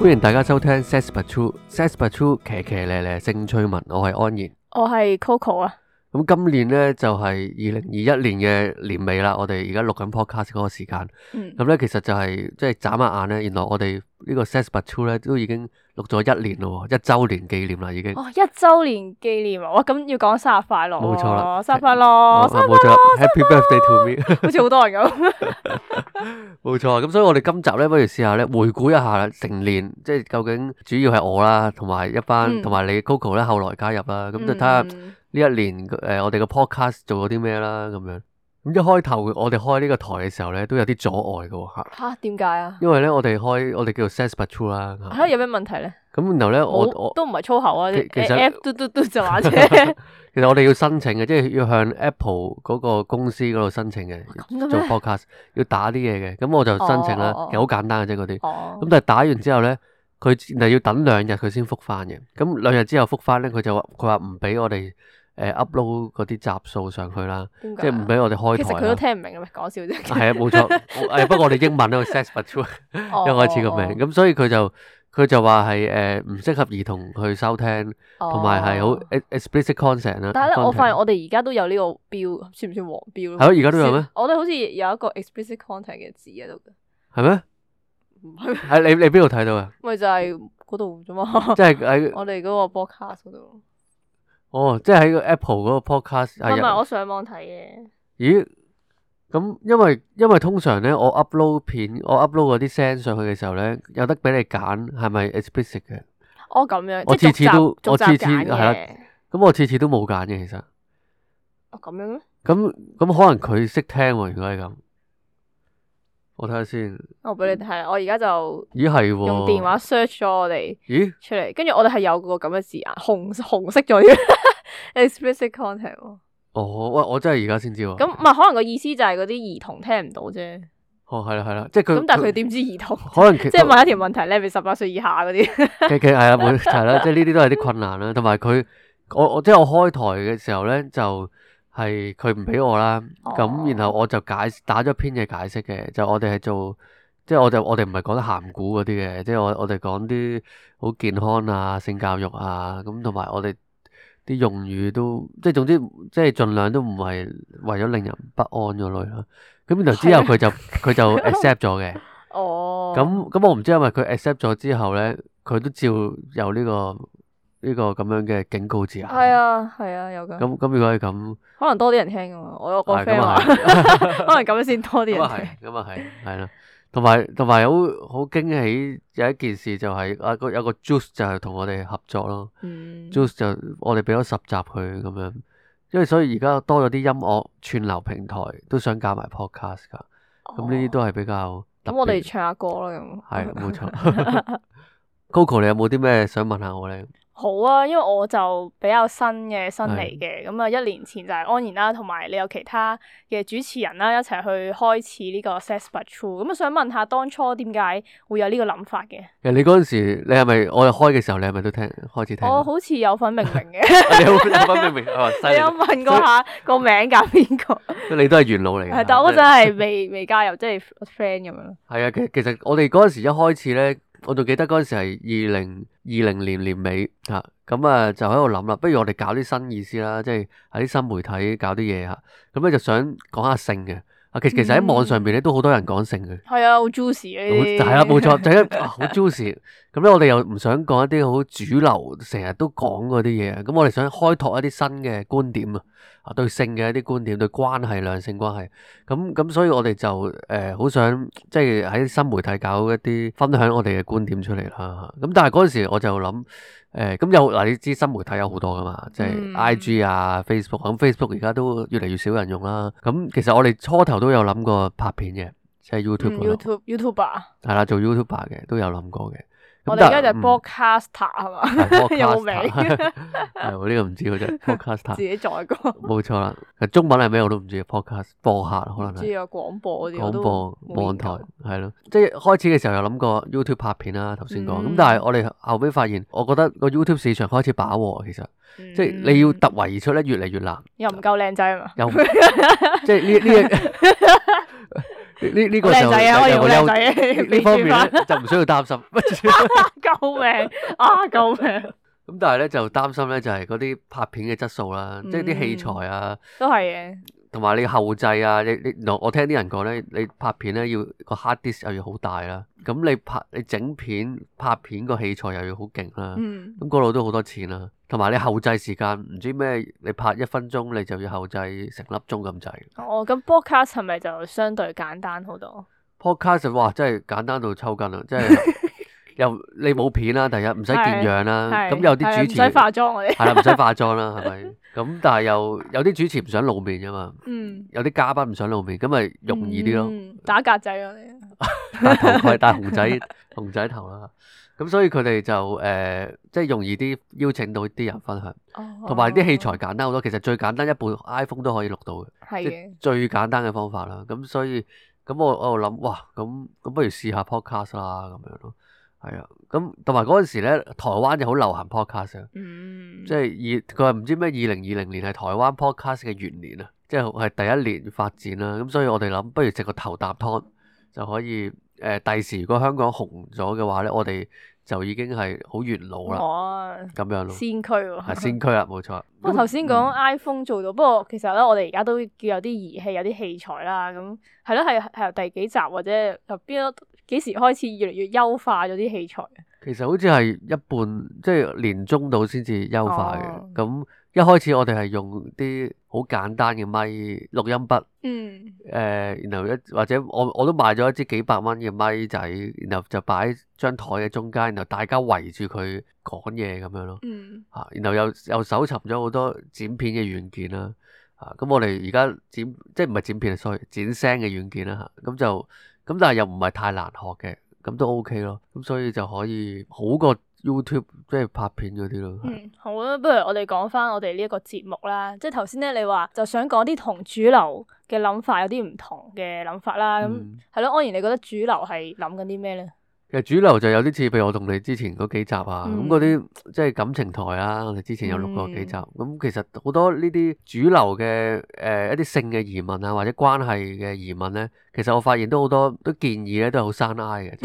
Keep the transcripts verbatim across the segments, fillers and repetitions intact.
歡迎大家收聽 Says But True，Says But True 騎騎咧咧性趣聞，我係安然，我係 Coco 啊。咁今年呢，就係二零二一年嘅年尾啦，我哋而家錄緊 podcast 嗰個時間，咁咧、嗯、其實就係即係眨下眼咧，原來我哋呢個 Says But True 咧都已經錄咗一年咯，一周年紀念啦已經。哦，一周年紀念啊！哇，咁要講生日快樂，冇錯啦，生日快樂，生日快樂 ，Happy Birthday to me，好似好多人咁。冇錯，咁所以我哋今集咧，不如試下咧回顧一下成年，即係究竟主要係我啦，同埋一班，同埋、嗯、你 Coco 咧後來加入啦，咁就睇下呢一年誒、呃、我哋個 podcast 做咗啲咩啦，咁樣。咁一開頭我哋開呢個台嘅時候咧，都有啲阻礙嘅喎嚇。嚇？點解啊？因為咧我哋開我哋叫做 Says But True 啦。嚇？有咩問題咧？咁然後咧我我都唔係粗口啊，其實 F 嘟嘟嘟就話啫。其實我哋要申請嘅，即係要向 Apple 嗰個公司嗰度申請嘅，做 podcast 要打啲嘢嘅。咁我就申請啦，哦哦哦其實好簡單嘅啫嗰啲。咁、哦、但係打完之後咧，佢係要等兩日佢先覆翻嘅。咁兩日之後覆翻咧，佢就話佢話唔俾我哋誒 upload 嗰啲集數上去啦，即係唔俾我哋開台。其實佢都聽唔明嘅咩？講笑啫。係啊，冇錯。誒不過我哋英文咧，Says But True 一開始個名，咁所以佢就。佢就話係誒唔適合兒童去收聽，同埋係好 explicit content 啦。但係咧，我發現我哋而家都有呢個標，算唔算黃標咧？係咯，而家都有咩？我哋好似有一個 explicit content 嘅字喺度嘅。係咩？唔係。喺你你邊度睇到啊？咪就係嗰度啫嘛。即係喺我哋嗰個 podcast 嗰度。哦，即係喺個 Apple 嗰個 podcast。唔係，我上網睇嘅。咦？咁因為因為通常咧，我 upload 片，我 upload 嗰啲聲上去嘅時候咧，有得俾你揀係咪 explicit 嘅。哦，咁樣。我次次都，我次次係啦。咁我次次都冇揀嘅，其實。哦，咁樣咩？咁咁可能佢識聽喎，如果係咁。我睇下先。我俾你睇，我而家就。咦係喎。用電話 search 咗我哋。咦？出嚟，跟住我哋係有個咁嘅字眼，紅紅色咗啲 explicit content 喎。哦，喂，我真係而家先知喎。咁唔係可能個意思就係嗰啲兒童聽唔到啫。哦，係啦係啦，即係佢。咁但係佢點知兒童？可能即係問一條問題咧，係咪十八歲以下嗰啲？其其係啊，冇係啦，即係呢啲都係啲困難啦。同埋佢，我我即係我開台嘅時候咧，就係佢唔俾我啦。咁、哦、然後我就解打咗篇嘅解釋嘅，就我哋係做，即係我就我哋唔係講得鹹古嗰啲嘅，即係我我哋講啲好健康啊、性教育啊，咁同埋我哋。啲用語都即係總之即係盡量都唔係為咗令人不安嗰類啦。咁然後之後佢就佢就 accept 咗嘅。哦。咁咁我唔知係咪佢 accept 咗之後咧，佢都照有呢個呢個咁樣嘅警告字眼。係啊係啊有㗎。咁咁如果係咁，可能多啲人聽㗎嘛。我有個 friend 話，可能咁樣先多啲人聽。咁啊係，係啦。同埋同埋好好驚喜有一件事就係啊個有個 Juice 就係同我哋合作咯。嗯、Juice 就我哋俾咗十集佢咁樣，因為所以而家多咗啲音樂串流平台都想加埋 podcast 噶，咁呢啲都係比較特別。咁、哦、我哋唱下歌啦咁。係冇錯。Coco 你有冇啲咩想問下我咧？好啊，因為我就比較新嘅新嚟嘅，咁啊一年前就係安然啦，同埋你有其他嘅主持人啦，一齊去開始呢個 Says But True，咁啊想問下當初點解會有呢個諗法嘅？其實你嗰陣時，你係咪我哋開嘅時候，你係咪都聽開始聽？我好似有份命名嘅。你有份命名？哦，犀利。你有問過下個名揀邊個？你都係元老嚟嘅。係，但我嗰陣係未未加入，即係 friend 咁樣。係啊，其其實我哋嗰陣時一開始咧。我仲記得嗰陣時係二零二零年年尾嚇，咁啊就喺度諗啦，不如我哋搞啲新意思啦，即係喺啲新媒體搞啲嘢嚇，咁咧就想講下性嘅。啊，其其實喺網上邊咧都好多人講性嘅。係啊，好 juicy 呢啲。係啊，冇錯，就係好 juicy。咁咧我哋又唔想講一啲好主流，成日都講嗰啲嘢，咁我哋想開拓一啲新嘅觀點啊。啊，對性嘅一啲觀點，對關係、兩性關係，咁咁，所以我哋就誒好、呃、想即係喺新媒體搞一啲分享我哋嘅觀點出嚟啦。咁但係嗰陣時我就諗誒，咁、呃、有嗱，你知新媒體有好多噶嘛，即係 I G 啊、Facebook，咁 Facebook 而家都越嚟越少人用啦。咁其實我哋初頭都有諗過拍片嘅，即係 YouTube、嗯。YouTube YouTuber 係啦，做 YouTuber 嘅都有諗過嘅。我哋而家就係 Podcaster 係嘛？有冇名？係我呢個唔知嘅啫，Podcaster 自己再講。冇錯啦，中文係咩我都唔知 Podcast 播客可能係。知啊，廣播嗰啲。廣播網台係咯，即係開始嘅時候有諗過 YouTube 拍片啦，頭先講。咁、嗯、但係我哋後尾發現，我覺得個 YouTube 市場開始飽和，其實、嗯、即係你要突圍而出咧，越嚟越難。又唔夠靚仔啊嘛？又即係呢呢呢呢個就靚仔啊，我有個優認好靚仔啊，呢方面咧就唔需要擔心。救命啊！救命！咁但係咧就擔心咧就係嗰啲拍片嘅質素啦，嗯即係啲器材啊，都係嘅。同埋你後製啊，你你我我聽啲人講咧，你拍片咧要個 hard disk 又要好大啦，咁你拍你整片拍片個器材又要好勁啦，嗯，咁嗰度都好多錢啦，同埋你後製時間唔知咩，你拍一分鐘你就要後製成粒鐘咁滯。哦，咁 podcast 係咪就相對簡單好多？ Podcast 哇真係簡單到抽筋啦，真係又你冇片啦，第一唔使見樣啦，係咁有啲主持係唔使化妝我哋。係啦，唔使化妝啦，係咪？咁但係又有啲主持唔想露面噶嘛，嗯，有啲嘉賓唔想露面，咁咪容易啲咯。嗯打格仔我哋。戴頭盔、戴熊仔熊仔頭啦，咁所以佢哋就誒、呃，即係容易啲邀請到啲人分享，同埋啲器材簡單好多。其實最簡單一部 iPhone 都可以錄到嘅，即係係嘅。最簡單嘅方法啦。咁所以咁我我度諗，哇，咁咁不如試下 podcast 啦，咁樣咯。係啊，咁同埋嗰陣時咧，台灣就好流行 podcast 啊，嗯，即係二佢話唔知咩二零二零年係台灣 podcast 嘅元年啊，即係係第一年發展啦。咁所以我哋諗，不如食個頭啖湯就可以誒，第時如果香港紅咗嘅話咧，我哋就已經係好元老啦，哦，咁樣咯，先驅喎。係先驅啦，冇錯。不過頭先講 iPhone 做到，不過其實咧，我哋而家都叫有啲儀器、有啲器材啦。咁係咯，係係由第幾集或者由邊一幾時開始越嚟越優化咗啲器材？其實好似係一半，即係年中度先至優化嘅。哦咁一開始我哋係用啲好簡單嘅咪錄音筆，嗯，誒，然後一或者我我都買咗一支幾百蚊嘅咪仔，然後就擺喺張台嘅中間，然後大家圍住佢講嘢咁樣咯。嗯，啊，然後又又搜尋咗好多剪片嘅軟件啦，啊，咁我哋而家剪即係唔係剪片，sorry，剪聲嘅軟件啦，嚇，咁就咁，但係又唔係太難學嘅，咁都 OK 咯，咁所以就可以好過 YouTube 即係拍片嗰啲咯。嗯，好啊，不如我哋講翻我哋呢一個節目啦，即係頭先咧，你話就想講啲同主流嘅諗法有啲唔同嘅諗法啦，咁係咯，安然你覺得主流係諗緊啲咩咧？其實主流就有啲似，譬如我同你之前嗰幾集啊，咁嗰啲即係感情台啊，我哋之前有錄過幾集，咁、嗯、其實好多呢啲主流嘅誒、呃、一啲性嘅疑問啊，或者關係嘅疑問咧，其實我發現都好多都建議咧，都係好生挨嘅，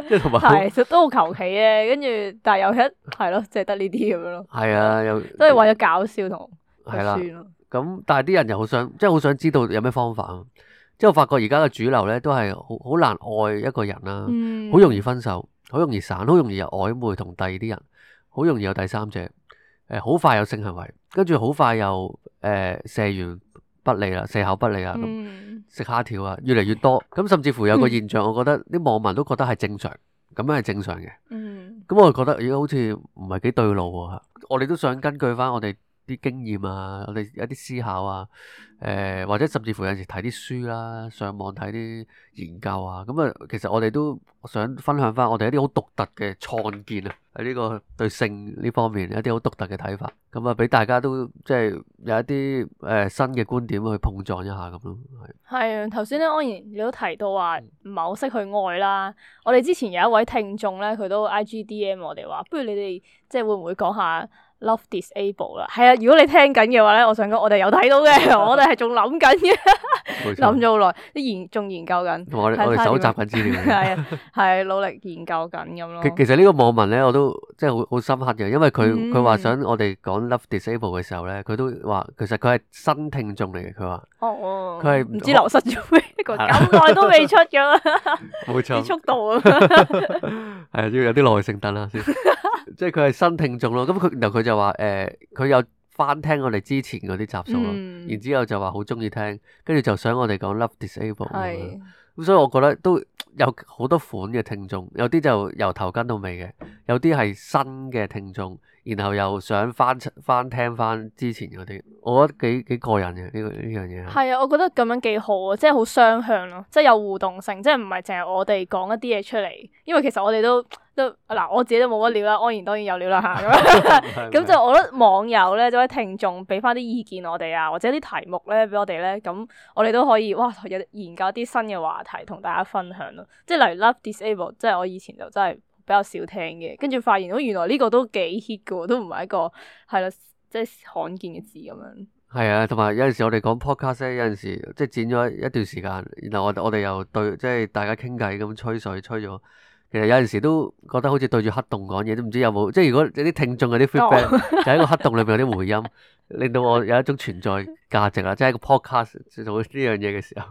即係同埋係，其實都好求其嘅，跟住但係又一係咯，即係得呢啲咁樣咯。係啊，又都係為咗搞笑同係啦，算咯。咁但係啲人又好想，即係好想知道有咩方法啊。即係我發覺而家嘅主流咧，都係好好難愛一個人啦，好、嗯、容易分手，好容易散，好容易有曖昧同第二啲人，好容易有第三者，誒、呃，好快有性行為，跟住好快又誒、呃、射完不理啦，射後不理啊，咁、嗯、食蝦條啊，越嚟越多，咁甚至乎有個現象，我覺得啲網民都覺得係正常，咁樣係正常嘅。咁、嗯、我就覺得而家好似唔係幾對路喎，我哋都想根據翻我哋啲經驗啊，我哋一啲思考啊，誒、呃、或者甚至乎有陣時睇啲書啦，上網睇啲研究啊，咁啊，其實我哋都想分享翻我哋一啲好獨特嘅創建啊，喺呢個對性呢方面一啲好獨特嘅睇法，咁啊俾大家都即係有一啲誒、呃、新嘅觀點去碰撞一下咁咯，係。係啊，頭先咧安然你都提到話唔係好識去愛啦，我哋之前有一位聽眾咧，佢都 I G D M 我哋話，不如你哋即係會唔會講下Love Disable 啦？係啊，如果你聽緊嘅話咧，我想講我哋有睇到嘅，我哋係仲諗緊嘅，諗咗好耐，啲研仲研究緊，我哋我哋搜集緊資料，係啊，係努力研究緊咁咯。其其實呢個網民咧，我都即係好好深刻嘅，因為佢佢話想我哋講 Love Disable 嘅時候咧，佢都話其實佢係新聽眾嚟嘅，佢話哦，佢係唔知流失咗咩，個咁耐都未出嘅啦，冇錯，啲速度啊，係要有啲耐性等下先，即係佢係新聽眾咯。咁佢然後佢就話誒，佢有翻聽我哋之前嗰啲集數咯，嗯、然之後就話好中意聽，跟住就想我哋講 Love Disable。係咁所以我覺得都有好多款嘅聽眾，有啲就由頭跟到尾嘅，有啲係新嘅聽眾，然後又想翻翻聽翻之前嗰啲，我覺得幾幾過癮嘅呢個呢樣嘢。係啊，我覺得咁樣幾好啊，即係好雙向咯，即係有互動性，即係唔係淨係我哋講一啲嘢出嚟，因為其實我哋都都嗱，我自己都冇乜料啦，安然當然有料啦嚇咁，咁就我覺得網友咧，或者聽眾俾翻啲意見我哋啊，或者啲題目咧俾我哋咧，咁我哋都可以哇有研究啲新嘅話題同大家分享咯，即係例如 Love Disable，即係我以前就真係比較少聽嘅，跟住發現到原來呢個都幾 hit 嘅喎，都唔係一個係咯，即係罕見嘅字咁樣。係啊，同埋有陣時我哋講 podcast 咧，有陣時即係剪咗一段時間，然後我我哋又對即係大家傾偈咁吹水吹咗，其實有陣時都覺得好似對住黑洞講嘢，都唔知有冇即係如果有啲聽眾有啲 feedback，、哦、就喺個黑洞裏面有啲回音，令到我有一種存在價值啦，即係個 podcast 做呢樣嘢嘅時候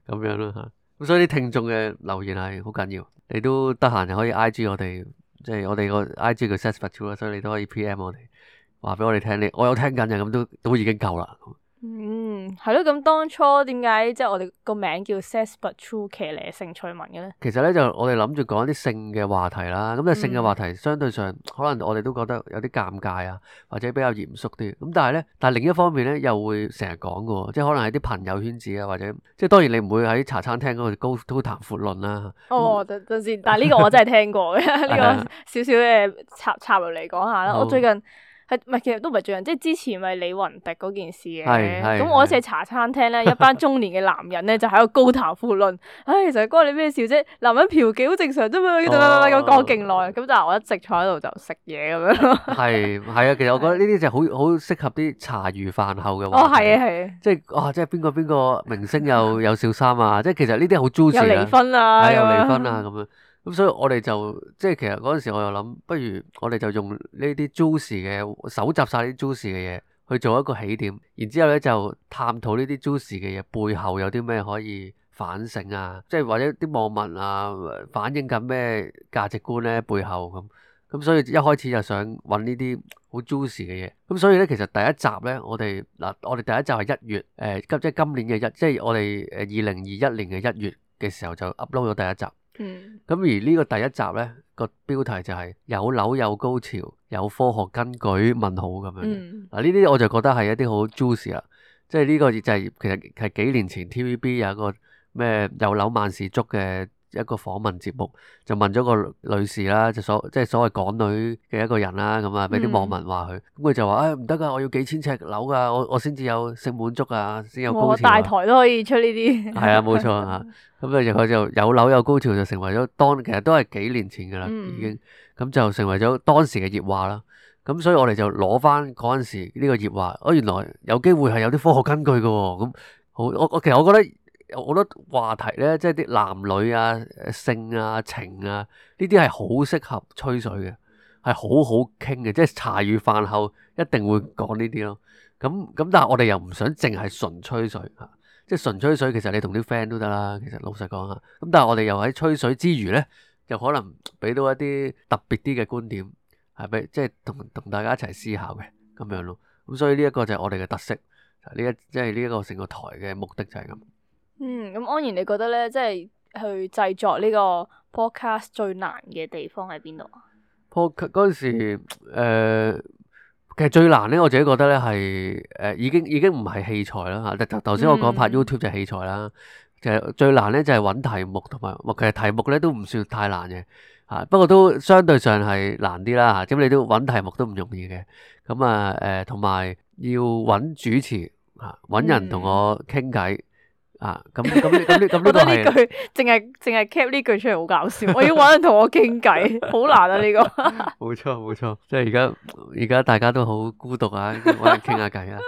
咁樣咯嚇。咁所以啲聽眾嘅留言係好緊要，你都得閒就可以 I G 我哋，即係我哋個 I G 叫 says but true 啦，所以你都可以 P M 我哋。話俾我哋聽，你我有聽緊嘅，咁都都已經夠啦。嗯，係咯。咁當初點解即係我哋個名叫 says but true 騎呢性趣聞嘅咧？其實咧就我哋諗住講啲性嘅話題啦。咁啊性嘅話題相對上、嗯、可能我哋都覺得有啲尷尬啊，或者比較嚴肅啲。咁但係咧，但係另一方面咧又會成日講嘅，即係可能喺啲朋友圈子啊，或者即係當然你唔會喺茶餐廳嗰度高高談闊論啦。哦，等等先，但係呢個我真係聽過嘅，呢個少少嘅插插入嚟講下啦。我最近。係唔係？其實都唔係最近，即係之前咪李雲迪嗰件事嘅。咁我嗰次喺茶餐廳咧，一班中年嘅男人咧就喺度高談闊論。唉，其實關你咩事啫？男人嫖妓好正常啫嘛，咁講勁耐。咁但係我一直坐喺度就食嘢咁樣。係係啊，其實我覺得呢啲就好好適合啲茶餘飯後嘅話。哦，係啊，係啊。即係啊，即係邊個邊個明星又有小三啊？即係其實呢啲好 juicy 啊。有離婚啊，有離婚啊咁樣。咁所以我哋就即係其實嗰陣時我又諗，不如我哋就用呢啲 juicy 嘅搜集晒啲 juicy 嘅嘢去做一個起點，然之後咧就探討呢啲 juicy 嘅嘢背後有啲咩可以反省啊，即係或者啲網民啊反映緊咩價值觀咧背後咁，咁所以一開始就想揾呢啲好 juicy 嘅嘢，咁所以咧其實第一集咧我哋嗱我哋第一集係一月誒今即係今年嘅一即係我哋誒二零二一年嘅一月嘅時候就 upload 咗第一集。嗯，咁而呢個第一集咧個標題就係有樓有高潮有科學根據問號咁樣。嗱呢啲我就覺得係一啲好 juicy 啦，即係呢個就係其實係幾年前 T V B 有一個咩有樓萬事足嘅一個訪問節目，就問咗個女士啦，就所即係所謂港女嘅一個人啦，咁啊俾啲網民話佢，咁佢就話誒唔得噶，我要幾千尺樓噶，我我先至有性滿足啊，先有高潮。大台都可以出呢啲。係啊，冇錯啊。咁啊，佢就有樓有高潮就成為咗當其實都係幾年前噶啦，已經咁就成為咗當時嘅熱話啦。咁所以我哋就攞翻嗰陣時呢個熱話，哦原來有機會係有啲科學根據噶。咁好，我我其實我覺得。我覺得話題咧，即係啲男女啊、性啊、情啊，呢啲係好適合吹水嘅，係好好傾嘅，即係茶餘飯後一定會講呢啲咯。咁咁，但係我哋又唔想淨係純吹水嚇，即係純吹水其實你同啲 friend 都得啦。其實老實講嚇，咁但係我哋又喺吹水之餘咧，又可能俾到一啲特別啲嘅觀點，係俾即係同同大家一齊思考嘅咁樣咯。咁所以呢一個就係我哋嘅特色，呢一即係呢一個成個台嘅目的就係咁。嗯，咁安然你覺得咧，即係去製作呢個 podcast 最難嘅地方喺邊度啊？podcast 嗰陣時，誒、呃，其實最難咧，我自己覺得咧係誒，已經已經唔係器材啦吓。頭頭先我講拍 YouTube 就係器材啦，其實最難咧就係揾題目同埋，其實題目咧都唔算太難嘅吓，不過都相對上係難啲啦吓。咁你都揾題目都唔容易嘅，咁啊誒，同埋要揾主持吓，揾人同我傾偈。啊，咁咁咁呢咁呢個係，呢句淨係淨係 cap 呢句出嚟好搞笑，我要搵人同我傾偈，好難啊呢個。冇錯冇錯，即係而家而家大家都好孤獨啊，搵人傾下偈啊，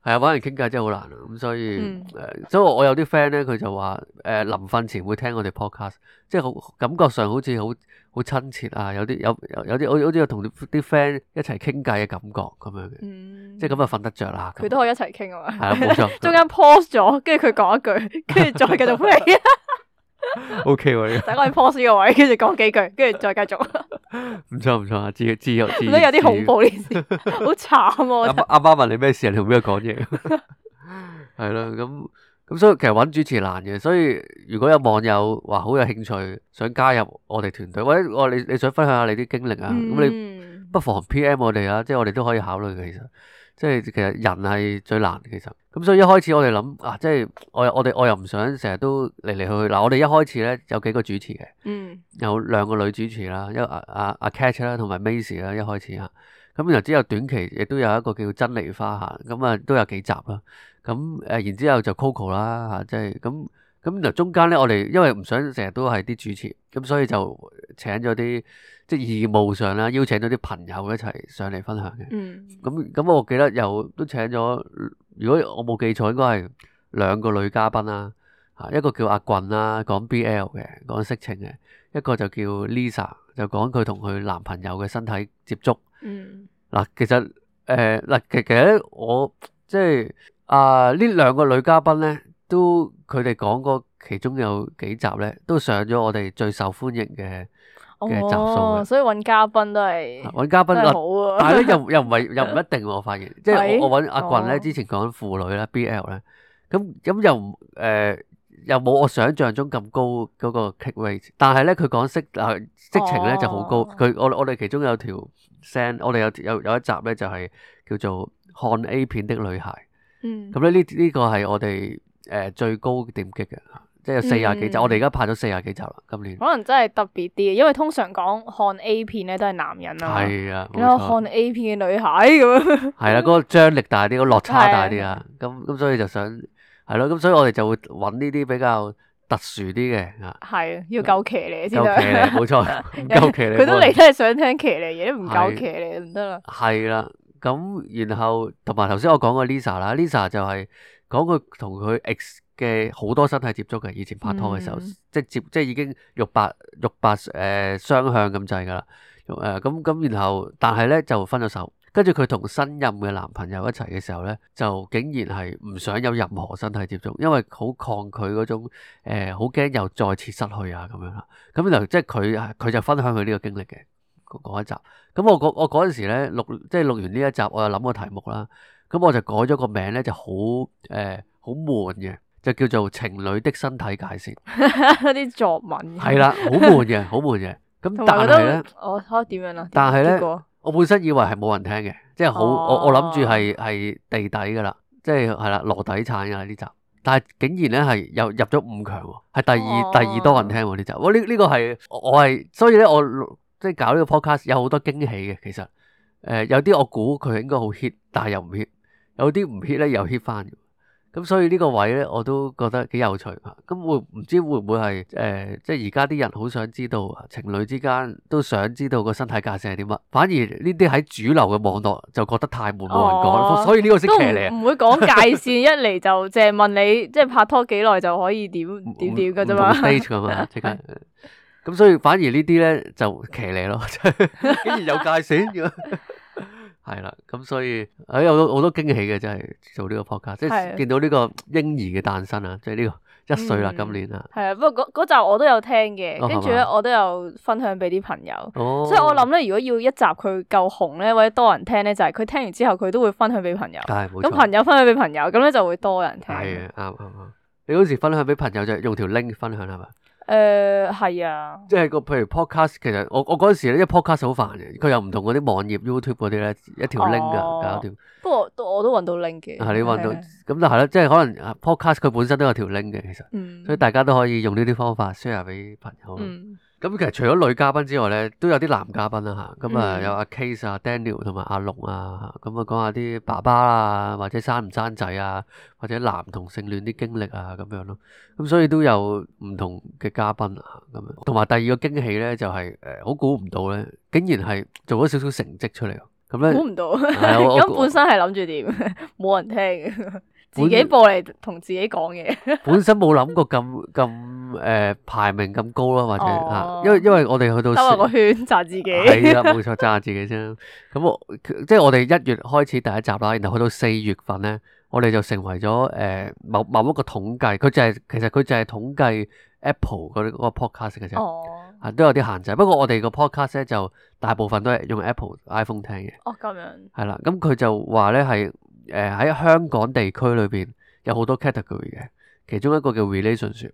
係啊，搵人傾偈真係好難啊，咁所以誒、嗯呃，所以我有啲 friend 咧，佢就話誒臨瞓前會聽我哋 podcast，即係好感覺上好似好好親切啊，有啲有有啲好好似有同啲 friend 一齊傾偈嘅感覺咁樣嘅，嗯、即係咁就瞓得着啦。佢都可以一齊傾啊嘛。係啊，冇錯。中間 pause 咗，跟住佢講一句，跟住再繼續 play。O K 喎，等我哋 pause 呢個位，跟住講幾句，跟住再繼續。唔錯唔錯啊，自自由自。覺得有啲恐怖呢件事，好慘啊！阿媽問你咩事啊？你同邊個講嘢？係咯，咁。咁所以其實揾主持難嘅，所以如果有網友話好有興趣想加入我哋團隊，或者我你你想分享下你啲經歷啊，咁、嗯、你不妨 P M 我哋啊，即係我哋都可以考慮嘅。其實即係其實人係最難嘅，其實咁所以一開始我哋諗啊，即係我我哋我又唔想成日都嚟嚟去去嗱，我哋一開始咧有幾個主持嘅，嗯、有兩個女主持啦，一阿阿阿 Catch 啦同埋 Macy 啦，一開始啊，咁然後之後短期亦都有一個叫珍妮花嚇，咁啊都有幾集啦。咁誒，然之後就 Coco 啦嚇，即係咁咁就中間咧，我哋因為唔想成日都係啲主持，咁所以就請咗啲即係義務上啦，邀請咗啲朋友一齊上嚟分享嘅。嗯，咁咁我記得又都請咗，如果我冇記錯，應該係兩個女嘉賓啦。啊，一個叫阿棍啦，講 B L 嘅，講色情嘅；一個就叫 Lisa，就講佢同佢男朋友嘅身體接觸。嗯，嗱，其實誒嗱，其其實咧，我即係啊呢兩個女嘉賓咧，都佢哋講過其中有幾集咧，都上咗我哋最受歡迎嘅嘅集數嘅。哦，所以揾嘉賓都係揾嘉賓都係好啊。但係咧又又唔係又唔一定喎，我發現，即係係我我揾阿棍咧，哦之前講婦女咧 B L 咧，咁咁又唔誒。又冇我想象中咁高嗰個 click rate，但係咧佢講色啊色情咧就好高。哦佢我我哋其中有條聲，我哋有有有一集咧就係叫做看 A 片的女孩。嗯，咁咧呢呢個係我哋誒最高點擊嘅，即係有四廿幾集。嗯我哋而家拍咗四廿幾集啦，今年。可能真係特別啲，因為通常講看 A 片咧都係男人啊嘛。係啊，冇咁我錯。看 A 片嘅女孩咁樣。係啦，嗰個張力大啲，嗰個落差大啲啊。咁咁所以就想係咯，咁所以我哋就會揾呢啲比較特殊啲嘅啊。係要夠騎呢先夠騎呢，得。冇錯，唔夠騎呢。佢都嚟都係想聽騎呢嘢，都唔夠係騎呢唔得啦。係啦，咁然後同埋頭先我講過 Lisa 啦，Lisa 就係講佢同佢 ex 嘅好多身體接觸嘅，以前拍拖嘅時候，嗯即係接即係已經肉白肉白誒雙向咁滯噶啦，誒咁咁然後但係咧就分咗手，跟住佢同新任嘅男朋友一齊嘅時候咧，就竟然係唔想有任何身體接觸，因為好抗拒嗰種誒好驚又再次失去啊咁樣啦，咁然後即係佢佢就分享佢呢個經歷嘅。嗰一集，咁我嗰我嗰陣時咧錄，即係錄完呢一集，我又諗個題目啦，咁我就改咗個名咧，就好誒好悶嘅，就叫做情侶的身體界線，嗰啲作文。係啦，好悶嘅，好悶嘅，咁但同埋係咧，我可點樣啊？但係咧結果我本身以為係冇人聽嘅，即係好哦我我諗住係係地底噶啦，即係係啦羅底產噶啦呢集，但係竟然咧係又入咗五強喎，係第二、哦第二多人聽喎呢集，我呢呢個係我我係，所以咧我。即係搞呢個 podcast 有好多驚喜嘅，其實誒、呃、有啲我估佢應該好 hit，但係又唔 hit，有啲唔 hit 咧又 hit 翻，咁所以呢個位咧我都覺得幾有趣嚇。咁會唔知會唔會係誒、呃、即係而家啲人好想知道情侶之間都想知道個身體界線係點乜，反而呢啲喺主流嘅網絡就覺得太悶冇人講，哦所以呢個先都騎呢唔唔會講界線，一嚟就淨係問你，即係拍拖幾耐就可以點點點嘅啫嘛。唔同 stage 咁嘛，即刻。咁所以反而呢啲咧就騎呢咯，竟然有界線嘅，係啦。咁所以誒有好多好多驚喜嘅，真係做呢個 podcast，即係見到呢個嬰兒嘅誕生啊，即係呢個一歲啦，今年啊。係啊，不過嗰嗰集我都有聽嘅，哦跟住咧我都有分享俾啲朋友。哦，所以我諗咧，如果要一集佢夠紅咧，或者多人聽咧，就係佢聽完之後佢都會分享俾朋友。係冇錯。咁朋友分享俾朋友，咁咧就會多人聽。係啊，啱啱啱。你嗰時分享俾朋友就係用條 link 分享係嘛？誒係啊，即係個譬如 podcast，其實我我嗰陣時咧，因為 podcast 好煩嘅，佢又唔同嗰啲網頁 YouTube 嗰啲咧，一條 link 噶哦搞掂。不過都我都揾到 link 嘅。係你揾到係咁就係啦，即係可能啊 podcast 佢本身都有條 link 嘅，其實，嗯，所以大家都可以用呢啲方法 share 俾朋友。嗯咁其實除咗女嘉賓之外咧，都有啲男嘉賓啦嚇。咁啊嗯有阿 Case 啊、Daniel 同埋阿龍啊，咁啊講下啲爸爸啊，或者生唔生仔啊，或者男同性戀啲經歷啊咁樣咯。咁所以都有唔同嘅嘉賓啊咁樣。同埋第二個驚喜咧就係誒好估唔到咧，竟然係做咗少少成績出嚟。咁咧估唔到。係啊我咁本身係諗住點？冇人聽嘅，自己播嚟同自己講嘢。本身冇諗過咁咁誒排名咁高咯，或者哦啊，因為因為我哋去到兜下個圈讚自己。係啦，冇錯，讚下自己先。咁我即係我哋一月開始第一集啦，然後去到四月份咧，我哋就成為咗誒、呃、某某一個統計，佢就係、其實佢就係統計 Apple 嗰啲嗰個 podcast 嘅啫，哦啊都有啲限制。不過我哋個 podcast 咧就大部分都係用 Apple iPhone 聽嘅，哦咁樣。係啦。咁佢就話咧係誒喺香港地區裏邊有好多 category 嘅，其中一個叫 relationship。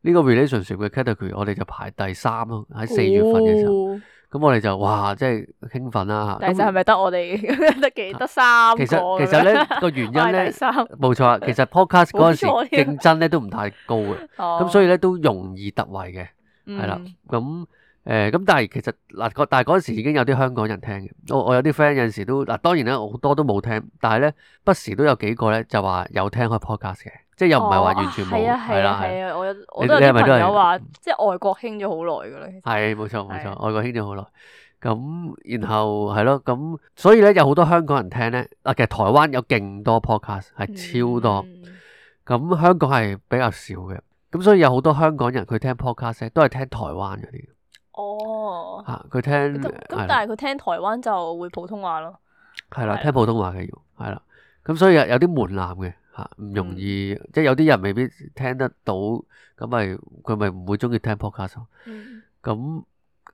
呢個 relationship 嘅 category 我哋就排第三咯，喺四月份嘅時候，哦咁、我哋就哇，即係興奮啦。但係就係咪得我哋得幾得三個其實咁樣其實咧個原因我係咧第三冇錯啊，其實 podcast 嗰陣時冇錯添競爭咧都唔太高嘅，咁、哦所以咧都容易突圍嘅，係啦、嗯咁誒咁但係其實嗱個但係嗰陣時已經有啲香港人聽嘅，我我有啲 friend 有陣時都嗱當然咧好多都冇聽，但係咧不時都有幾個咧就話有聽開 podcast 嘅，即係又唔係話完全冇，係啊係啦啊係啊，我有我你都有啲你係咪都係朋友話，即係外國興咗好耐噶啦。其實係冇錯冇錯，係外國興咗好耐。咁然後係咯，咁所以咧有好多香港人聽咧，啊其實台灣有勁多 podcast 係超多，嗯咁香港係比較少嘅。咁所以有好多香港人佢聽 podcast 咧都係聽台灣嗰啲。哦，嚇佢聽咁咁係啦但係佢聽台灣就會普通話咯。係啦，係聽普通話嘅要係啦。咁所以有有啲門檻嘅嚇，唔容易，嗯即係有啲人未必聽得到，咁咪佢咪唔會中意聽 podcast 咯。嗯咁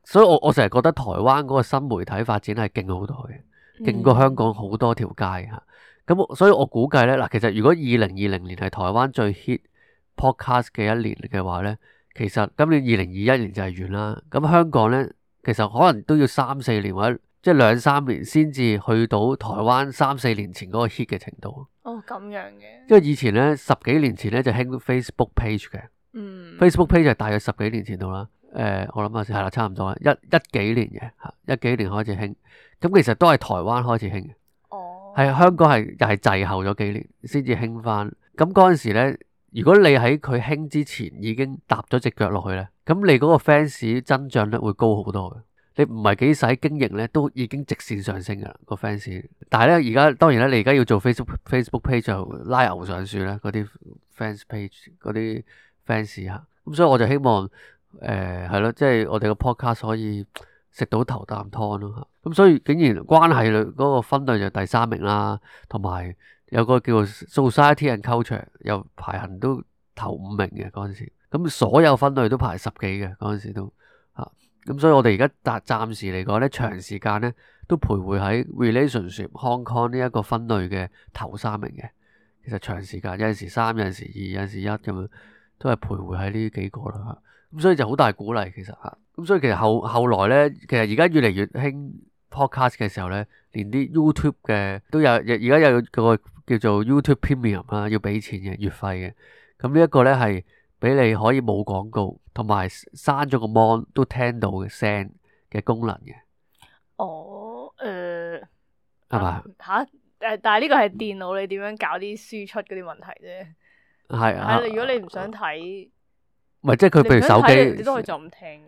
所以我我成日覺得台灣嗰個新媒體發展係勁好多嘅，勁過香港好多條街嚇。咁我所以我估計咧嗱，其實如果二零二零年係台灣最 hit podcast 嘅一年嘅話咧，其實今年二零二一年就係完啦。咁香港咧，其實可能都要三四年或者即係兩三年先至去到台灣三四年前嗰個 hit 嘅程度。哦，咁樣嘅。因為以前咧十幾年前咧就興 Facebook page 嘅。嗯 Facebook page 係大約十幾年前度啦，誒、呃，我諗下先係啦，差唔多啦，一一幾年嘅嚇，一幾年開始興，咁其實都係台灣開始興嘅，哦，係香港係又係滯後咗幾年先至興翻。咁嗰陣時咧，如果你喺佢興之前已經踏咗隻腳落去咧，咁你嗰個 fans 增長率會高好多嘅。你唔係幾使經營咧，都已經直線上升噶啦個 fans。但係咧，而家當然咧，你而家要做 Facebook Facebook page 就拉牛上樹咧，嗰啲 fans page 嗰啲 fans 嚇。咁所以我就希望誒係咯，即係我哋個 podcast 可以食到頭啖湯咯嚇。咁所以竟然關係類嗰個分類就第三名啦，同埋有個叫做 Society and Culture 又排行都頭五名嘅嗰陣時。咁所有分類都排十幾嘅嗰陣時都嚇。咁所以我哋而家暫暫時嚟講咧，長時間咧都徘徊喺 relationship Hong Kong 呢一個分類嘅頭三名嘅。其實長時間有陣時三，有陣時二，有陣時一咁樣。都係徘徊喺呢幾個啦，咁所以就好大鼓勵其實嚇，咁所以其實後後來咧，其實而家越嚟越興 podcast 嘅時候咧，連啲 YouTube 嘅都有，而家有個叫做 YouTube Premium 啦，要俾錢嘅月費嘅，咁呢一個咧係俾你可以冇廣告，同埋閂咗個 mon 都聽到嘅聲嘅功能嘅。哦，誒係嘛？嚇誒，但係呢個係電腦你點樣搞啲輸出嗰啲問題啫。係啊，係，如果你唔想睇，唔係即係佢譬如手機，你都可以就咁聽。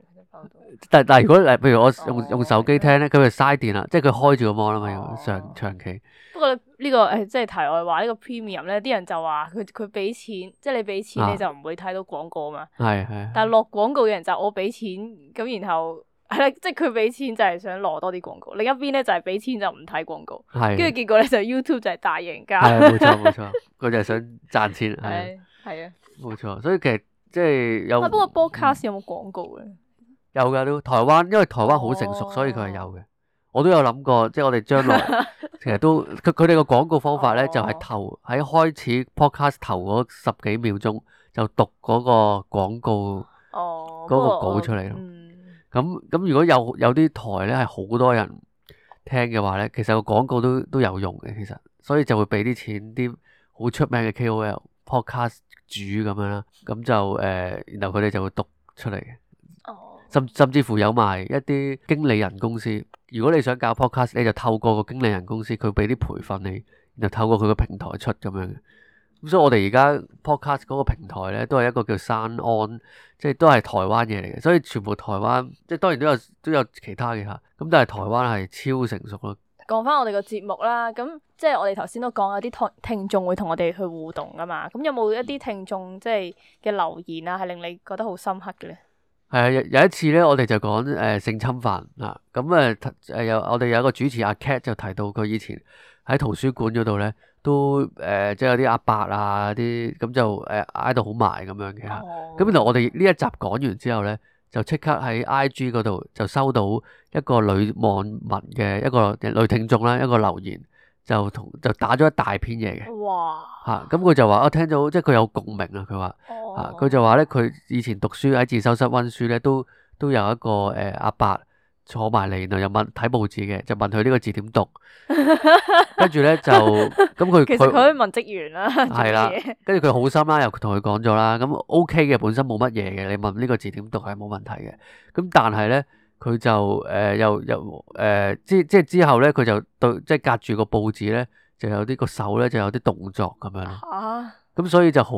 但但係如果誒，譬如我用哦用手機聽咧，佢係嘥電啦，即係佢開住個 mon 啊嘛，要哦長長期。不過呢個誒，即係題外話，呢個 premium 咧，啲人就話佢佢俾錢，即係你俾錢啊你就唔會睇到廣告嘛。係係。但係落廣告嘅人就我俾錢，咁然後係啦，即係佢俾錢就係想攞多啲廣告，另一邊咧就係俾錢就唔睇廣告，係跟住結果咧就 YouTube 就係大贏家。係冇錯冇錯，佢就係想賺錢，係係係啊。冇錯。所以其實即係有啊，不過 broadcast 有冇廣告咧？有㗎都台灣，因為台灣好成熟，哦所以佢係有嘅。我都有諗過，即係我哋將來其實都佢佢哋個廣告方法咧，哦就係頭喺開始 podcast 頭嗰十幾秒鐘就讀嗰個廣告哦，嗰個不過稿出嚟咯。嗯咁咁如果有有啲台咧係好多人聽嘅話咧，其實個廣告都都有用嘅，其實所以就會俾啲錢啲好出名嘅 K O L podcast 主咁樣啦，咁就誒、呃，然後佢哋就會讀出嚟嘅。哦甚甚至乎有埋一啲經理人公司，如果你想搞 podcast，你就透過個經理人公司，佢俾啲培訓你，然後透過佢個平台出咁樣嘅。咁所以我哋而家 podcast 嗰個平台咧，都係一個叫 SoundOn，即係都係台灣嘢嚟嘅。所以全部台灣，即係當然都有都有其他嘅嚇，咁但係台灣係超成熟咯。講翻我哋個節目啦，咁即係我哋頭先都講有啲聽聽眾會同我哋去互動噶嘛，咁有冇一啲聽眾即係嘅留言啊，係令你覺得好深刻嘅咧？係啊，有有一次咧，我哋就講誒、呃、性侵犯啊，咁誒誒有我哋有一個主持阿 Cat 就提到佢以前喺圖書館嗰度咧，都誒、呃、即係有啲阿伯啊啲咁就誒挨到好埋咁樣嘅嚇。哦咁然後我哋呢一集講完之後咧，就即刻喺 I G 嗰度就收到一個女網民嘅一個女聽眾啦，一個留言就同就打咗一大篇嘢嘅哇嚇。咁佢就話我聽到即係佢有共鳴啊，佢話。啊！佢就話咧，佢以前讀書喺自修室溫書咧，都都有一個誒阿伯坐埋嚟，然後又問睇報紙嘅，就問佢呢個字點讀，跟住咧就咁佢其實佢佢可以問職員啦，係啦做乜嘢，跟住佢好心啦，又同佢講咗啦，咁 O K 嘅，本身冇乜嘢嘅，你問呢個字點讀係冇問題嘅，咁但係咧佢就誒、呃、又又誒、呃、之即係之後咧，佢就對即係隔住個報紙咧，就有啲個手咧就有啲動作咁樣咯。嚇咁所以就好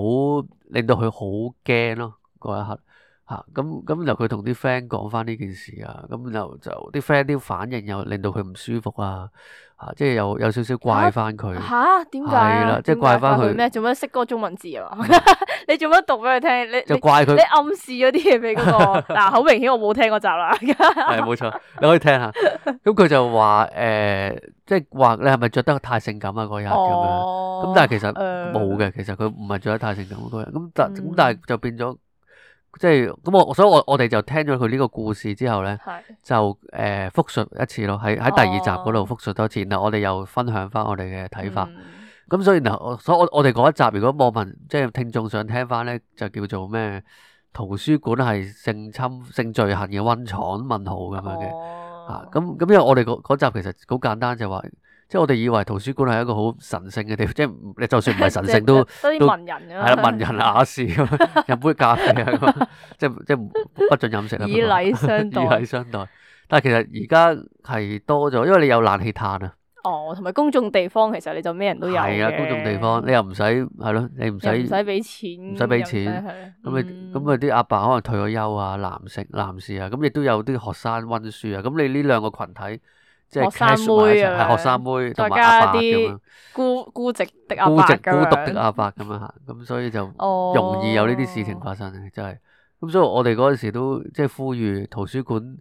令到佢好驚咯嗰一刻嚇。咁咁然後佢同啲 friend 講翻呢件事啊，咁然後就啲 friend 啲反應又令到佢唔舒服啊，啊即係有有少少怪翻佢。吓？點解係啦啊？即係怪返佢咩？做乜識嗰個中文字啊？你做乜讀俾佢聽？你你就怪佢你暗示咗啲嘢俾嗰個嗱，好明顯我冇聽嗰集啦。係冇錯，你可以聽下。咁佢就話誒，即係話你係咪着得太性感啊嗰日咁樣？哦，咁但係其實誒冇嘅，其實佢唔係着得太性感嗰日。咁但咁嗯但係就變咗，即係咁我所以我我哋就聽咗佢呢個故事之後咧，係就誒復述一次咯，喺喺第二集嗰度哦復述多次。然後我哋又分享翻我哋嘅睇法。嗯咁所以然後，所以我我哋嗰一集，如果網民即係聽眾想聽翻咧，就叫做咩？圖書館係性侵性罪行嘅溫床問號咁樣嘅嚇。哦咁咁因為我哋嗰嗰集其實好簡單，就話即係我哋以為圖書館係一個好神聖嘅地方，即係你就算唔係神聖都即係都多啲文人咁樣係啦，文人雅士咁樣飲杯咖啡啊，咁樣即係即係不准飲食啦。以禮相以待。禮相待。但係其實而家係多咗，因為你有冷氣嘆啊。哦，同埋公眾地方其實你就咩人都有係啊，公眾地方你又唔使係咯，你唔使又唔使俾錢，唔使俾錢又唔使係咁你咁啊啲阿伯可能退咗休啊，男性男士啊，咁亦都有啲學生温書啊，咁你呢兩個群體即係學生 casual 埋一齊妹啊係學生妹同埋再加阿伯咁啲樣，孤孤寂的阿伯孤寂孤咁獨的樣阿伯咁樣嚇，咁所以就哦容易有呢啲事情發生嘅，真係。咁所以我哋嗰陣時都即係呼籲圖書館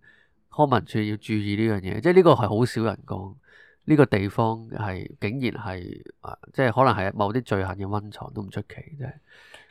康文署要注意呢樣嘢，即係呢個係好少人講。呢個地方係竟然係啊，即係可能係某啲罪行嘅溫床都唔出奇，真係。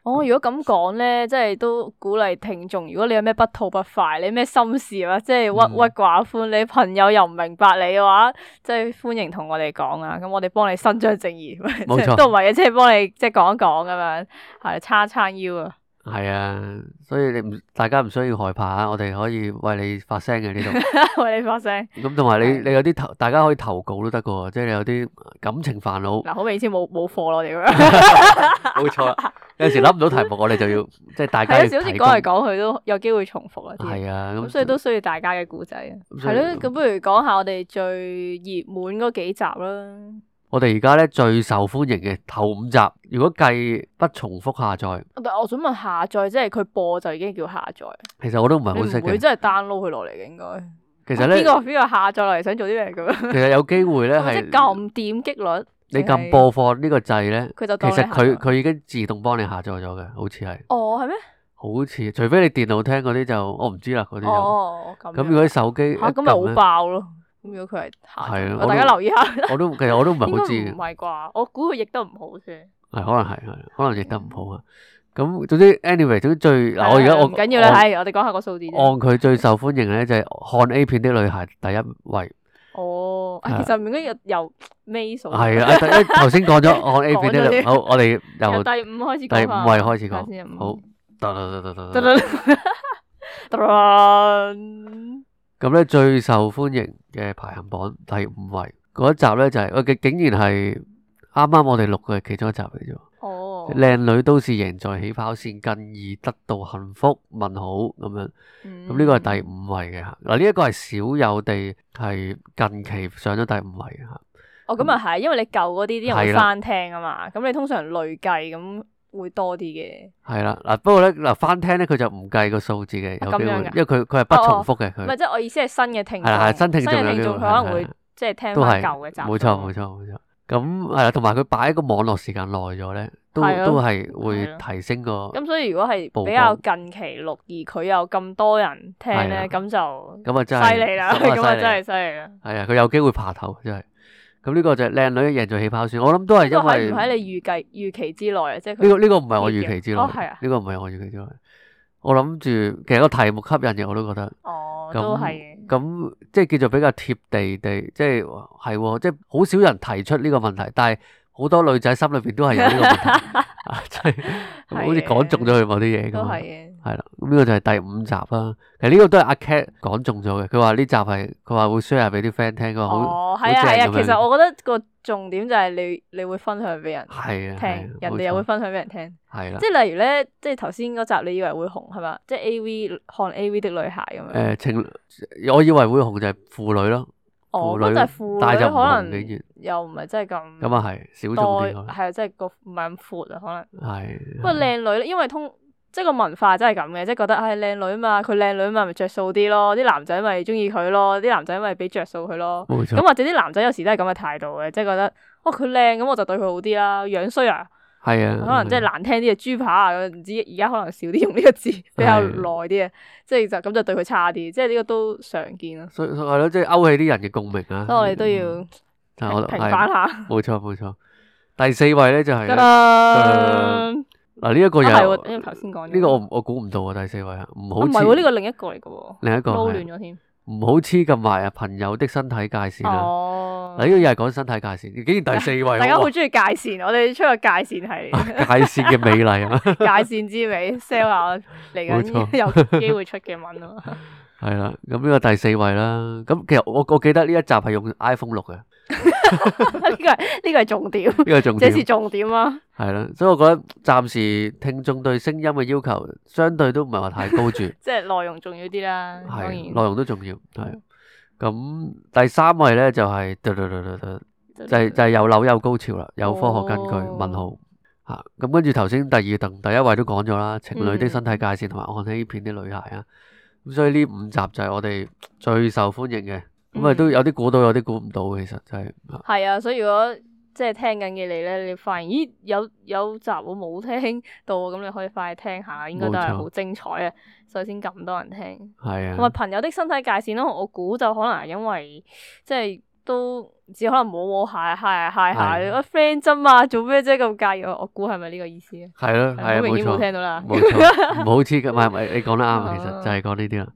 哦，如果咁講咧，即係都鼓勵聽眾，如果你有咩不吐不快，你咩心事啊，即係鬱鬱寡歡，你朋友又唔明白你嘅話，即係歡迎同我哋講啊，咁我哋幫你伸張正義，冇錯即係都唔係嘅，即係幫你即係講一講咁樣，係叉叉腰啊。係啊，所以你唔大家唔需要害怕啊！我哋可以為你發聲嘅呢度。為你發聲。咁同埋你係你有啲投，大家可以投稿都得噶喎，即係你有啲感情煩惱。嗱，好明顯冇冇貨咯，我哋咁樣。冇錯啦，有陣時諗唔到題目，我哋就要即係大家係要有時好似提講嚟供。講去都有機會重複啊啲。係啊，咁咁所以都需要大家嘅故仔啊。咁所以係咯，咁不如講下我哋最熱門嗰幾集啦。我哋而家咧最受歡迎嘅頭五集，如果計不重複下載，但我想問下載，即係佢播就已經叫下載，其實我都唔係你好識嘅。唔會真係 download 佢落嚟嘅應該。其實咧邊，個邊個下載落嚟想做啲咩咁樣？其實有機會咧即係係撳點擊率，你撳播放呢個掣咧，佢就其實當你下載佢佢已經自動幫你下載咗嘅，好似係。哦係咩？好似，除非你電腦聽嗰啲就我唔知啦，嗰啲就。哦咁樣。咁如果啲手機一嚇咁咪好撳咧，爆咯。咁如果佢係下載，係啊我都大家留意下。我都其實我都唔係應該好知嘅唔，係啩？我估佢譯得唔好先。係可能係係，可能譯得唔好啊。咁總之，anyway，總之最嗱，我而家我唔緊要啦，按係我哋講下個數字啫。按佢最受歡迎咧，就係看 A 片的女孩第一位，哦，係啊其實唔應該由由尾數。係啊，因為頭先講咗看 A 片的女，講咗添好，我哋由由第五開始第講返五位開始講，睇下先好，得得得得得得得。得得咁咧最受歡迎嘅排行榜第五位嗰一集咧就係我嘅，竟然係啱啱我哋錄嘅其中一集嚟啫。哦，靚女都是贏在起跑線，更易得到幸福。問號咁樣，咁咁呢個係第五位嘅嚇。嗱，呢一個係少有地係近期上咗第五位嘅嚇。哦，咁啊係，因為你舊嗰啲啲人會係啦翻聽啊嘛，咁你通常累計咁會多啲嘅。係啦，嗱不過咧嗱翻聽咧佢就唔計個數字嘅，有機會，咁樣㗎因為佢佢係不重複嘅唔係，佢。即係我意思係新嘅聽眾，係啦係新聽眾有機會新嘅聽眾佢可能會係係即係聽都係翻舊嘅集。冇錯冇錯冇錯。咁係啦，同埋佢擺個網絡時間耐咗咧，都係啊都係會係啊提升個。咁所以如果係曝比較光近期錄，而佢有咁多人聽係啊咧，咁就咁啊真係犀利啦，咁啊咁啊犀利真係犀利啦。係啊，佢有機會爬頭真係。咁呢個就係靚女贏在起跑線，我諗都係呢個因為喺唔喺你預計預期之內啊？即係佢呢個呢個唔係我預期之內，哦係啊呢個唔係我預期之內。我諗住其實個題目吸引嘅，我都覺得。哦，咁都係嘅。咁即係叫做比較貼地地，即係係喎，即係好少人提出呢個問題，但係好多女仔心裏邊都係有呢個問題，啊，即係好似講中咗佢某啲嘢咁。都係嘅。係啦，咁呢個就係第五集啦。其實呢個都係阿 Cat 講中咗嘅，佢話呢集係佢話會 share 俾啲 friend 聽，佢話好哦，好係啊係啊，正咁樣其實我覺得個重點就係你你會分享俾人係啊，聽，人哋又會冇錯分享俾人聽。係啦即。係例如咧，即係頭先嗰集你以為會紅係嘛？即係 A V 看 A V 的女孩咁樣。誒情，我以為會紅就係婦女咯，哦，婦女咁就係婦女但係就唔可能同竟然又唔係真係咁咁啊係少眾多，啲可能係啊，即係個唔係咁闊啊，可能。係不過靚女咧，因為通即係個文化真係咁嘅，即係覺得唉靚女嘛，佢靚女嘛咪着數啲咯，啲男仔咪中意佢咯，啲男仔咪俾着數佢咯。冇錯咁或者啲男仔有時都係咁嘅態度嘅，即係覺得哦佢靚咁我就對佢好啲啦，樣衰啊，係啊，可能即係難聽啲嘅豬扒啊，唔知而家可能少啲用呢個字，比較耐啲嘅，即係就咁就對佢差啲，即係呢個都常見咯。所以係咯，即係勾起啲人嘅共鳴啊。所以我哋都要嗯但係我平係反下。冇錯冇錯。第四位咧就係得呢啦，嗱呢一個又啊係喎，因為頭先講咗呢個我我估唔到啊，第四位啊，唔好啊唔係喎，呢黐個另一個嚟嘅喎，另一個撈係亂咗添。唔好黐咁埋啊，朋友的身體界線啦。哦，嗱呢個又係講身體界線，竟然第四位，哇大家好中意界線，我哋出個界線系列，界線嘅美麗啊，界線之美 sell 下嚟冇緊錯有機會出嘅文啊嘛。係啦，咁呢個第四位啦。咁其實我我記得呢一集係用 iPhone 錄嘅，呢呢個係呢個係重點，個係重點這是重點啊！係啦。所以我覺得暫時聽眾對聲音嘅要求相對都唔係話太高住，即係內容重要啲啦，當係然內容都重要。係咁第三位咧就係、就係、就係有樓有高潮啦，有科學根據。哦問號嚇咁跟住頭先第二同第一位都講咗啦，情侶嗯的身體界線同埋看欺騙啲女孩啊。咁所以呢五集就係我哋最受歡迎嘅。咁啊嗯都有啲估到，有啲估唔到嘅，其實真係。係啊，所以如果即係聽緊嘅你咧，你發現咦有有集我冇聽到，咁你可以快去聽下，應該都係冇錯好精彩啊，所以先咁多人聽。係同埋啊，朋友的身體界線咯，我估就可能係因為即係都只可能摸摸下揩下揩下，係我 friend 啫嘛，做咩啫咁介意？我我估係咪呢個意思啊？係咯，係啊，冇好明顯冇錯，聽到啦。冇錯，唔好黐嘅，唔係唔係，你講得啱啊，其實就係講呢啲啦。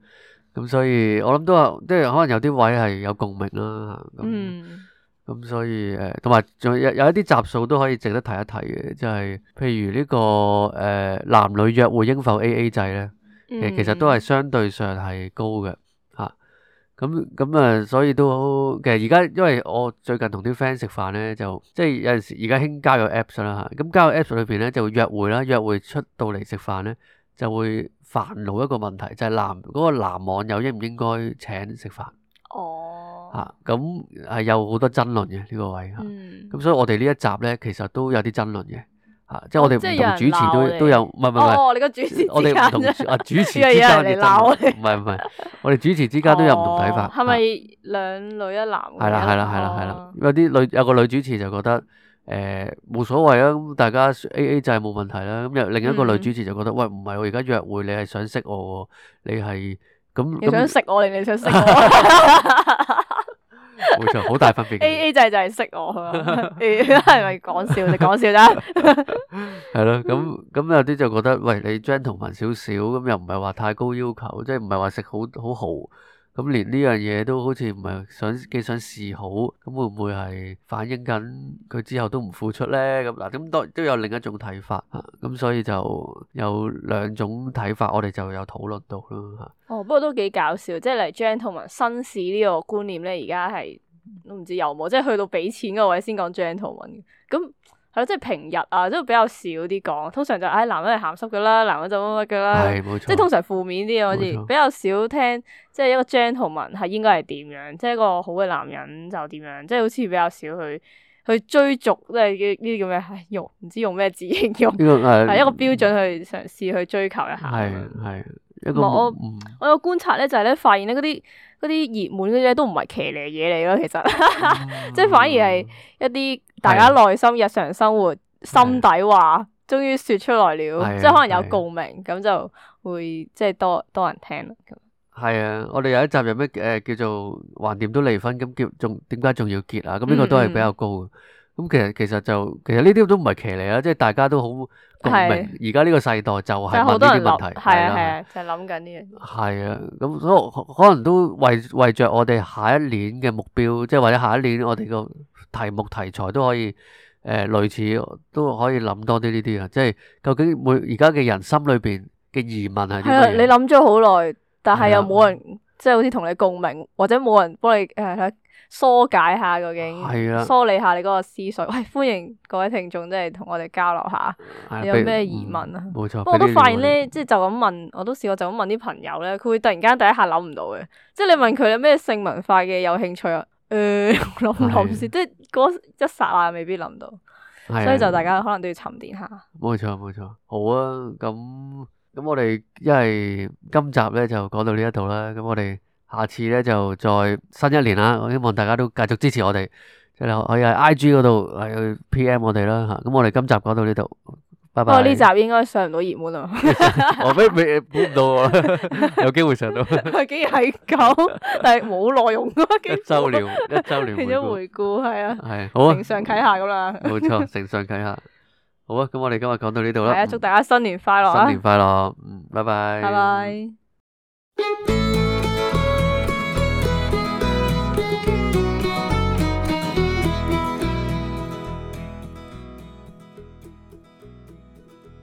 咁所以我諗都有，即係可能有啲位係有共鳴啦。咁嗯，咁所以誒，同埋仲有有一啲集數都可以值得提一提嘅，即係譬如呢個誒男女約會應否 A A 制咧？其實其實都係相對上係高嘅嚇。咁咁啊，所以都好其實而家因為我最近同啲 friend 食飯咧，就即係有陣時而家興交友 Apps 啦嚇。咁交友 Apps 裏邊咧就會約會啦，約會出到嚟食飯咧就會煩惱一個問題，就係男嗰個男網友應唔應該請食飯哦，嚇？咁係有好多爭論嘅呢個位嚇。嗯，咁所以我哋呢一集咧，其實都有啲爭論嘅嚇，即係我哋哦即係有人唔同主持鬧你都都有，唔係唔係唔係，哦，你個主持我哋唔同之間主啊主持之以為有間嘅人嚟鬧我爭論，唔係唔係，我哋主持之間都有唔同睇法。哦係咪兩女一男嘅？係啦係啦係啦係啦哦，有啲女有個女主持就覺得誒冇所謂啊，咁大家 A A 制冇問題啦。咁有另一個女嗯主持就覺得喂唔係我而家約會，你係想識我喎，你係咁你想咁食我定你想食我冇錯，好大分別嘅。 ？A A 制就係識我係嘛？係咪講笑？你講笑啫。係咯，咁咁有啲就覺得，喂，你 gentleman 少少，咁又唔係話太高要求，即係唔係話食好好豪，咁連呢樣嘢都好似唔係想幾想示好，咁會唔會係反映緊佢之後都唔付出咧？咁嗱，咁都都有另一種睇法啊，咁所以就有兩種睇法，我哋就有討論到咯嚇。哦，不過都幾搞笑，即係嚟 gentleman 紳士呢個觀念咧，而家係都唔知有冇，即係去到俾錢嗰位先講 gentleman 嘅。咁係咯，即係平日啊，都比較少啲講，通常就唉、哎、男人係鹹濕噶啦，男人就乜乜噶啦，係冇錯，即係通常負面啲嘅好似冇錯比較少聽，即係一個 gentleman 係應該係點樣，即係一個好嘅男人就點樣，即係好似比較少去去追逐，即係呢啲叫咩？唉用唔知用咩字形容，呢個誒係一個標準去嘗試去追求一下咁係樣。係一個唔係我嗯我有觀察咧，就係咧發現咧嗰啲嗰啲熱門嗰啲咧都唔係騎呢嘢嚟咯，其實即係反而係一啲大家內心日常生活心底話，終於説出來了，係即係可能有係共鳴，咁就會即係多多人聽咯。咁係啊，我哋有一集有咩誒叫做橫掂都離婚，咁叫仲點解仲要結啊？咁呢個都係比較高嘅。咁其實其實就其實呢啲都唔係騎呢啊，即係大家都好共鳴。而家呢個世代就係就係問呢好多人諗，啲問題，係啊啦係啊，就係諗緊呢樣嘢。係啊，咁所以可可能都為為著我哋下一年嘅目標，即係或者下一年我哋個題目題材都可以誒、呃、類似，都可以諗多啲呢啲啊。即係究竟每而家嘅人心裏邊嘅疑問係啲係啊，乜嘢？你諗咗好耐，但係又係啊冇人即係好似同你共鳴，或者冇人幫你誒疏解下究竟，係啊梳理下你嗰個思緒。喂，歡迎各位聽眾，即係同我哋交流下，係啊俾你有咩疑問啊？嗯冇錯。不過我都俾啲發現咧，意見即係就咁問，我都試過就咁問啲朋友咧，佢會突然間第一下諗唔到嘅，即係你問佢有咩性文化嘅有興趣啊？誒諗唔諗先，即係嗰一剎那未必諗到，係所以就大家可能都要沉澱下。冇錯冇錯，好啊，咁咁我哋因為今集咧就講到呢一度啦，咁我哋下次咧就再新一年啦，我希望大家都繼續支持我哋，即係可以喺 I G 嗰度係去 P M 我哋啦嚇，咁我哋今集講到呢度，拜拜。不過呢集應該上唔到熱門啊，我未未估唔到喎，有機會上到竟然係咁，但係冇內容咯，一週年一週年變咗回顧係啊，係好啊承，上啟下咁啦。冇錯，承上啟下。好啊，咁我哋今日講到呢度啦。係啊，祝大家新年快樂啊！新年快樂，嗯，拜拜。拜拜。